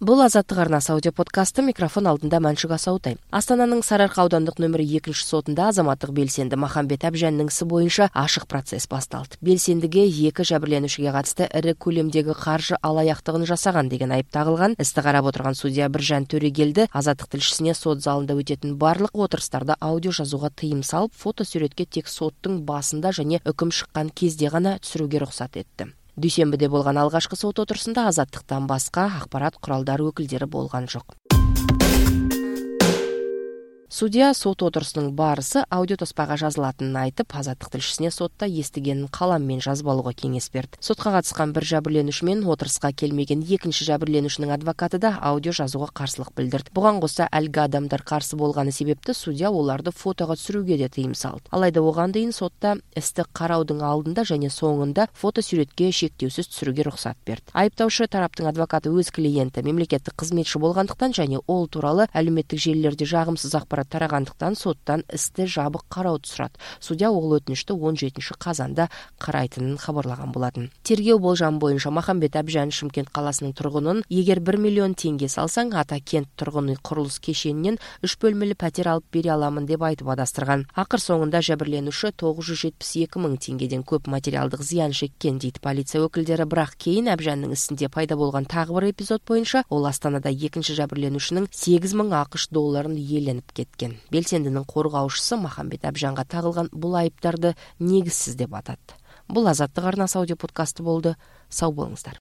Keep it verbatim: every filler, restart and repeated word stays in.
Бул Азаттык арнасы аудио подкасты. Микрофон алдында Маншук Асаутай. Астананын Сары Арка аудандык нөмүр экинчи сотунда азаматтык белсенди Махамбет Абжандын isi боюнча ашык процесс башталды. Белсендиге эки жабырленүүчүгө катысты ири көлөмдөгү каржы алаяктыгын жасаган деген айып тагылган. Исти карап отурган судья Биржан Төрегелди Азаттык тилшисине сот залында өтөтүн барлык отурустарда аудио жазууга тыйым салып, фото сүрөткө тек соттун басында жана өкүм чыккан кезде гана түшүрүүгө уруксат этти. Дүйшөмбүдө болгон алгачкы сот отурусунда Азаттыктан башка акпарат куралдары өкүлдөрү болгон жок. Судья сот отурусунун баарысы аудио тоспага жазылатынын айтып, Азаттык тилшисине сотто эстигенин калам менен жазып алууга кеңеш берди. Сотко катышкан бир жабырленүүчү менен отуруска келмеген экинчи жабырленүүчүнүн адвокаты да аудио жазууга каршылык билдирди. Буга кошо алги адамдар каршы болгону себептен судья оларды фотого түшүрүүгө да тыйым салды. Алайда ого дейин сотто исти кароодун алдында жана соңунда фото сүрөткө шектөөсүз түшүрүүгө уруксат берди. Айыптоочу тараптын адвокаты өз клиенти мамлекеттик кызметчи болгондуктан жана ол тууралуу алюметтик желилерде жагымсыз акпарат тарагандыктан соттан исти жабык кароодо турат. Судья ол өтүнүштү он жетинчи казанда карайтынын кабарлаган болатын. Тергөө болжамы боюнча Махамбет Абжан Шымкент каласынын тургунун эгер бир миллион теңге салсаң, ата кент тургун үй курулуш кешенинен үч бөлмөлүү пәтер алып бере аламын деп айтып адастырган. Акыр соңунда жабырленүүчү тогуз жүз жетимиш эки миң теңгеден көп материалдык зыян шеккен дейт полиция өкүлдөрү. Бирок кийин Абжандын исинде пайда болгон тагы бир эпизод боюнча ол Астанада экинчи жабырленүүчүнүн сегиз миң акыш долларын иеленип кеткен. Белсендинин коргоочусу Махамбет Абжанга тагылган бул айыптарды негизсиз деп атат. Бул Азаттык арнасы аудио подкасты болду. Сау болуңуздар.